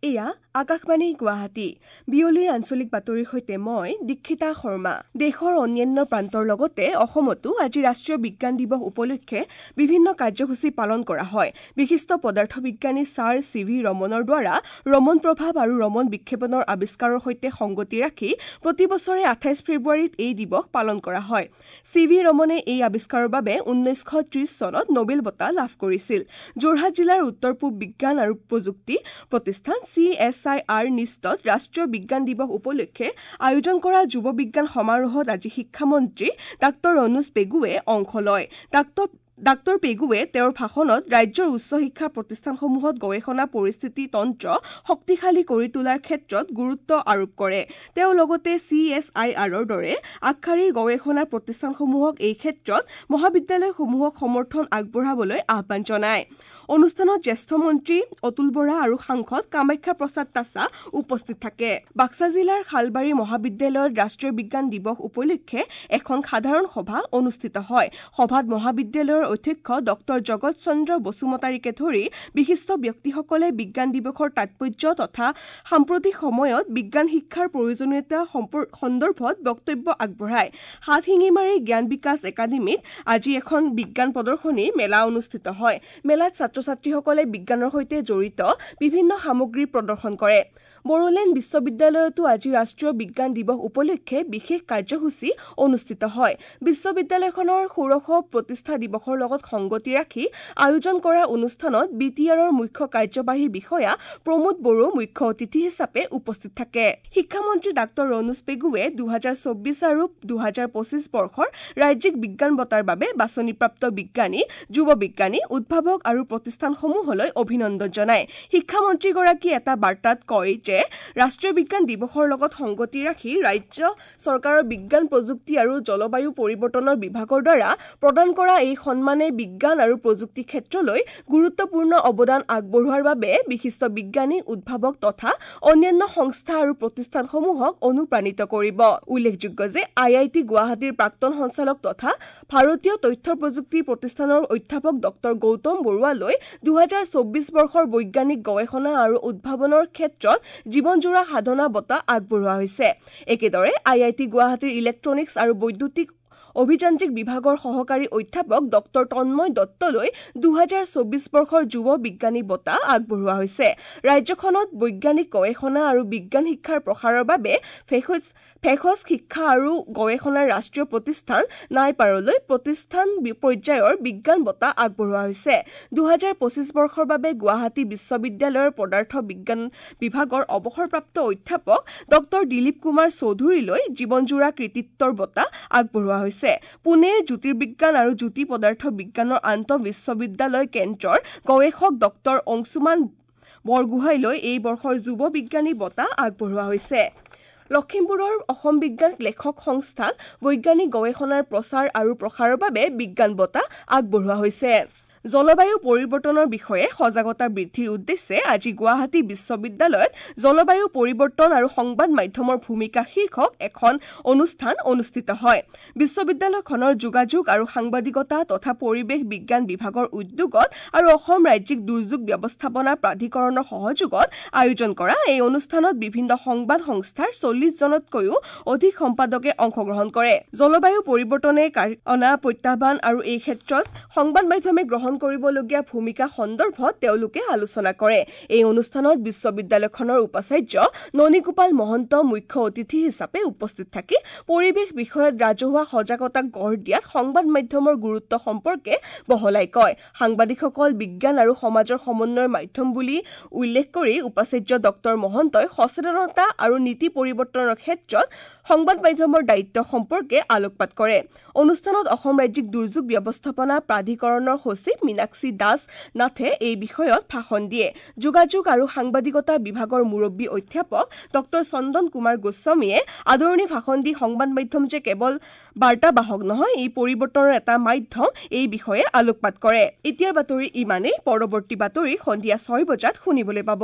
এয়া আকাশবাণী গুৱাহাটী। বিয়লিৰ আঞ্চলিক বাতৰিৰ সৈতে মই দীক্ষিতা শৰ্মা। দেশৰ অন্যান্য প্ৰান্তৰ লগতে অসমতো আজি ৰাষ্ট্ৰীয় বিজ্ঞান দিৱস উপলক্ষে বিভিন্ন কাৰ্যসূচী পালন কৰা হয়। বিশিষ্ট পদাৰ্থ বিজ্ঞানী ছাৰ চি ভি ৰমনৰ দ্বাৰা ৰমন প্ৰভাৱ আৰু ৰমন বিক্ষেপণৰ আৱিষ্কাৰৰ সৈতে সংগতি ৰাখি প্ৰতি বছৰে 28 ফেব্ৰুৱাৰীত এই দিৱস পালন কৰা হয়। চি ভি ৰমনে এই আৱিষ্কাৰৰ বাবে 1930 চনত নোবেল বঁটা লাভ কৰিছিল। যোৰহাট জিলাৰ উত্তৰ পূব বিজ্ঞান আৰু প্ৰযুক্তি প্ৰতিষ্ঠান চি এছ I R নিষ্টত ৰাষ্ট্ৰীয় বিজ্ঞান দিৱস উপলক্ষে আয়োজন কৰা যুৱ বিজ্ঞান সমাৰোহত আজি শিক্ষামন্ত্ৰী ডাঃ ৰণোজ পেগুৱে অংশ লয়। ডাঃ পেগুৱে তেওঁৰ ভাষণত ৰাজ্যৰ উচ্চ শিক্ষা প্ৰতিষ্ঠানসমূহত গৱেষণা পৰিস্থিতি তন্ত্ৰ শক্তিশালী কৰি তোলাৰ ক্ষেত্ৰত গুৰুত্ব আৰোপ কৰে। তেওঁ লগতে চি এছ I আৰৰ দৰে আগশাৰীৰ গৱেষণা প্ৰতিষ্ঠানসমূহক এই ক্ষেত্ৰত মহাবিদ্যালয়সমূহক সমৰ্থন আগবঢ়াবলৈ আহ্বান জনায়। অনুষ্ঠানত জ্যেষ্ঠ মন্ত্ৰী অতুল বৰা আৰু সাংসদ কামাখ্যা প্ৰসাদ তাছা উপস্থিত থাকে। বাক্সা জিলাৰ শালবাৰী মহাবিদ্যালয়ত ৰাষ্ট্ৰীয় বিজ্ঞান দিৱস উপলক্ষে এখন সাধাৰণ সভা অনুষ্ঠিত হয়। সভাত মহাবিদ্যালয়ৰ অধ্যক্ষ ডঃ জগত চন্দ্ৰ বসুমতাৰীকে ধৰি বিশিষ্ট ব্যক্তিসকলে বিজ্ঞান দিৱসৰ তাৎপৰ্য তথা সাম্প্ৰতিক সময়ত বিজ্ঞান শিক্ষাৰ প্ৰয়োজনীয়তা সন্দৰ্ভত বক্তব্য আগবঢ়ায়। হাতশিঙিমাৰীৰ জ্ঞান বিকাশ একাডেমীত আজি এখন বিজ্ঞান প্ৰদৰ্শনী মেলা অনুষ্ঠিত হয়। মেলাত ছাত্ৰ ছাত্ৰীসকলে বিজ্ঞানৰ সৈতে জড়িত বিভিন্ন সামগ্ৰী প্ৰদৰ্শন কৰে। বড়োলেণ্ড বিশ্ববিদ্যালয়তো আজি ৰাষ্ট্ৰীয় বিজ্ঞান দিৱস উপলক্ষে বিশেষ কাৰ্যসূচী অনুষ্ঠিত হয়। বিশ্ববিদ্যালয়খনৰ ষোড়শ প্ৰতিষ্ঠা দিৱসৰ লগত সংগতি ৰাখি আয়োজন কৰা অনুষ্ঠানত বি টি আৰৰ মুখ্য কাৰ্যবাহী বিষয়া প্ৰমোদ বড়ো মুখ্য অতিথি হিচাপে উপস্থিত থাকে। শিক্ষামন্ত্ৰী ডাঃ ৰণোজ পেগুৱে 2024 আৰু 2025 বৰ্ষৰ ৰাজ্যিক বিজ্ঞান বঁটাৰ বাবে বাছনিপ্ৰাপ্ত বিজ্ঞানী, যুৱ বিজ্ঞানী, উদ্ভাৱক আৰু প্ৰতিষ্ঠানসমূহলৈ অভিনন্দন জনায়। শিক্ষামন্ত্ৰীগৰাকীয়ে এটা বাৰ্তাত কয় যে ৰাষ্ট্ৰীয় বিজ্ঞান দিৱসৰ লগত সংগতি ৰাখি ৰাজ্য চৰকাৰৰ বিজ্ঞান, প্ৰযুক্তি আৰু জলবায়ু পৰিৱৰ্তনৰ বিভাগৰ দ্বাৰা প্ৰদান কৰা এই সন্মানে বিজ্ঞান আৰু প্ৰযুক্তি ক্ষেত্ৰলৈ গুৰুত্বপূৰ্ণ অৱদান আগবঢ়োৱাৰ বাবে বিশিষ্ট বিজ্ঞানী, উদ্ভাৱক তথা অন্যান্য সংস্থা আৰু প্ৰতিষ্ঠানসমূহক অনুপ্ৰাণিত কৰিব। উল্লেখযোগ্য যে আই I T গুৱাহাটীৰ প্ৰাক্তন সঞ্চালক তথা ভাৰতীয় তথ্য প্ৰযুক্তি প্ৰতিষ্ঠানৰ অধ্যাপক ডঃ গৌতম বৰুৱালৈ 2024 বৰ্ষৰ বৈজ্ঞানিক গৱেষণা আৰু উদ্ভাৱনৰ ক্ষেত্ৰত জীৱনজোৰা সাধনা বঁটা আগবঢ়োৱা হৈছে। একেদৰে আই I T গুৱাহাটীৰ ইলেক্ট্ৰনিক্স আৰু বৈদ্যুতিক অভিযান্ত্ৰিক বিভাগৰ সহকাৰী অধ্যাপক ডঃ তন্ময় দত্তলৈ 2024 বৰ্ষৰ যুৱ বিজ্ঞানী বঁটা আগবঢ়োৱা হৈছে। ৰাজ্যখনত বৈজ্ঞানিক গৱেষণা আৰু বিজ্ঞান শিক্ষাৰ প্ৰসাৰৰ বাবে ভেষজ শিক্ষা আৰু গৱেষণাৰ ৰাষ্ট্ৰীয় প্ৰতিষ্ঠান নাইপাৰলৈ প্ৰতিষ্ঠান পৰ্যায়ৰ বিজ্ঞান বঁটা আগবঢ়োৱা হৈছে। 2025 বৰ্ষৰ বাবে গুৱাহাটী বিশ্ববিদ্যালয়ৰ পদাৰ্থ বিজ্ঞান বিভাগৰ অৱসৰপ্ৰাপ্ত অধ্যাপক ডঃ দিলীপ কুমাৰ চৌধুৰীলৈ জীৱনজোৰা কৃতিত্বৰ বঁটা আগবঢ়োৱা হৈছে। পুনেৰ জ্যোতিৰ্বিজ্ঞান আৰু জ্যোতি পদাৰ্থ বিজ্ঞানৰ আন্তঃ বিশ্ববিদ্যালয় কেন্দ্ৰৰ গৱেষক ডঃ অংশুমান বৰগোহাঁইলৈ এই বৰ্ষৰ যুৱ বিজ্ঞানী বঁটা আগবঢ়োৱা হৈছে। লখিমপুৰৰ অসম বিজ্ঞান লেখক সংস্থাক বৈজ্ঞানিক গৱেষণাৰ প্ৰচাৰ আৰু প্ৰসাৰৰ বাবে বিজ্ঞান বঁটা আগবঢ়োৱা হৈছে। জলবায়ু পৰিৱৰ্তনৰ বিষয়ে সজাগতা বৃদ্ধিৰ উদ্দেশ্যে আজি গুৱাহাটী বিশ্ববিদ্যালয়ত জলবায়ু পৰিৱৰ্তন আৰু সংবাদ মাধ্যমৰ ভূমিকা শীৰ্ষক এখন অনুষ্ঠান অনুষ্ঠিত হয়। বিশ্ববিদ্যালয়খনৰ যোগাযোগ আৰু সাংবাদিকতা তথা পৰিৱেশ বিজ্ঞান বিভাগৰ উদ্যোগত আৰু অসম ৰাজ্যিক দুৰ্যোগ ব্যৱস্থাপনা প্ৰাধিকৰণৰ সহযোগত আয়োজন কৰা এই অনুষ্ঠানত বিভিন্ন সংবাদ সংস্থাৰ 40 জনতকৈও অধিক সম্পাদকে অংশগ্ৰহণ কৰে। জলবায়ু পৰিৱৰ্তনে অনা প্ৰত্যাহ্বান আৰু এই ক্ষেত্ৰত সংবাদ মাধ্যমে গ্ৰহণ কৰিবলগীয়া ভূমিকা সন্দৰ্ভত তেওঁলোকে আলোচনা কৰে। এই অনুষ্ঠানত বিশ্ববিদ্যালয়খনৰ উপাচাৰ্য ননীগোপাল মহন্ত মুখ্য অতিথি হিচাপে উপস্থিত থাকি পৰিৱেশ বিষয়ত ৰাজহুৱা সজাগতা গঢ় দিয়াত সংবাদ মাধ্যমৰ গুৰুত্ব সম্পৰ্কে বহলাই কয়। সাংবাদিকসকল বিজ্ঞান আৰু সমাজৰ সমন্বয়ৰ মাধ্যম বুলি উল্লেখ কৰি উপাচাৰ্য ডঃ মহন্তই সচেতনতা আৰু নীতি পৰিৱৰ্তনৰ ক্ষেত্ৰত সংবাদ মাধ্যমৰ দায়িত্ব সম্পৰ্কে আলোকপাত কৰে। অনুষ্ঠানত অসম ৰাজ্যিক দুৰ্যোগ ব্যৱস্থাপনা প্ৰাধিকৰণৰ সচিব মীনাক্ষী দাস নাথে এই বিষয়ত ভাষণ দিয়ে। যোগাযোগ আৰু সাংবাদিকতা বিভাগৰ মুৰব্বী অধ্যাপক ডঃ চন্দন কুমাৰ গোস্বামীয়ে আদৰণি ভাষণ দি সংবাদ মাধ্যম যে কেৱল বাৰ্তাবাহক নহয়, ই পৰিৱৰ্তনৰ এটা মাধ্যম, এই বিষয়ে আলোকপাত কৰে। এতিয়াৰ বাতৰি ইমানেই। পৰৱৰ্তী বাতৰি সন্ধিয়া 6 বজাত শুনিবলৈ পাব।